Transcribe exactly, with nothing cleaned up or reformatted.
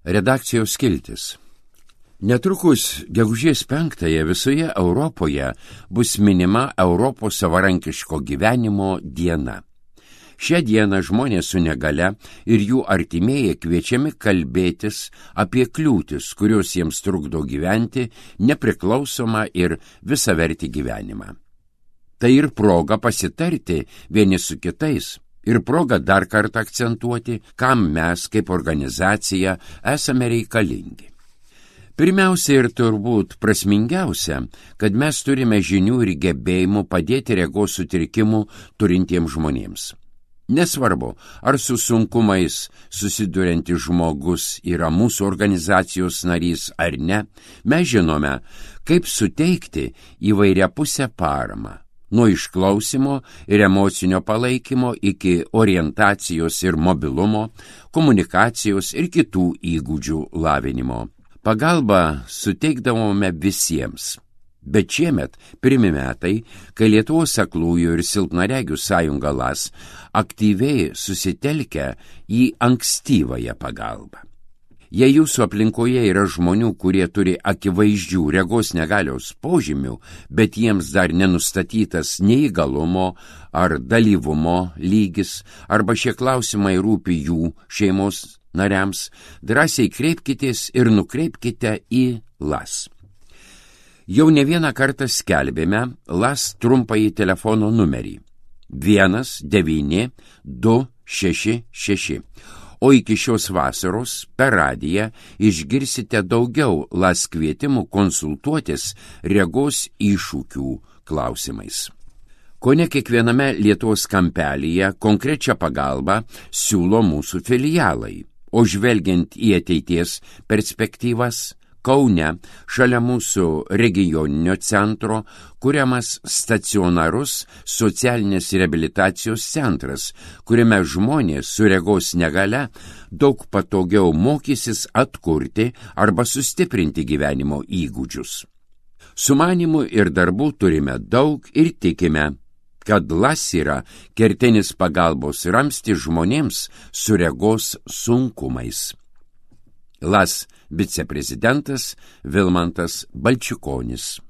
Redakcijos skiltis. Netrukus gegužės penktąją visoje Europoje bus minima Europos savarankiško gyvenimo diena. Šią dieną žmonės su negale ir jų artimieji kviečiami kalbėtis apie kliūtis, kurios jiems trukdo gyventi nepriklausomą ir visavertį gyvenimą. Tai ir proga pasitarti vieni su kitais. Ir proga dar kartą akcentuoti, kam mes kaip organizacija esame reikalingi. Pirmiausia ir turbūt prasmingiausia, kad mes turime žinių ir gebėjimų padėti regos sutrikimų turintiems žmonėms. Nesvarbu, ar su sunkumais susiduriantis žmogus yra mūsų organizacijos narys ar ne, mes žinome, kaip suteikti įvairiapusę paramą. Nuo išklausimo ir emocinio palaikymo iki orientacijos ir mobilumo, komunikacijos ir kitų įgūdžių lavinimo. Pagalbą suteikdavome visiems. Bet šiemet pirmi metai, kai Lietuvos aklųjų ir silpnaregių sąjunga L A S aktyviai susitelkia į ankstyvąją pagalbą. Jei jūsų aplinkoje yra žmonių, kurie turi akivaizdžių regos negalios požymių, bet jiems dar nenustatytas neįgalumo ar dalyvumo lygis, arba šie klausimai rūpi jų šeimos nariams, drąsiai kreipkitės ir nukreipkite į L A S. Jau ne vieną kartą skelbėme L A S trumpąjį telefono numerį vienas devyni du šeši šeši. O iki šios vasaros per radiją išgirsite daugiau L A S kvietimų konsultuotis regos iššūkių klausimais. Kone kiekviename Lietuvos kampelyje konkrečią pagalbą siūlo mūsų filialai, o žvelgiant į ateities perspektyvas, Kaune, šalia mūsų regioninio centro, kuriamas stacionarus socialinės reabilitacijos centras, kuriame žmonės su regos negale daug patogiau mokysis atkurti arba sustiprinti gyvenimo įgūdžius. Sumanimų ir darbų turime daug ir tikime, kad L A S yra kertinis pagalbos ramstis žmonėms su regos sunkumais. L A S viceprezidentas Vilmantas Balčikonis.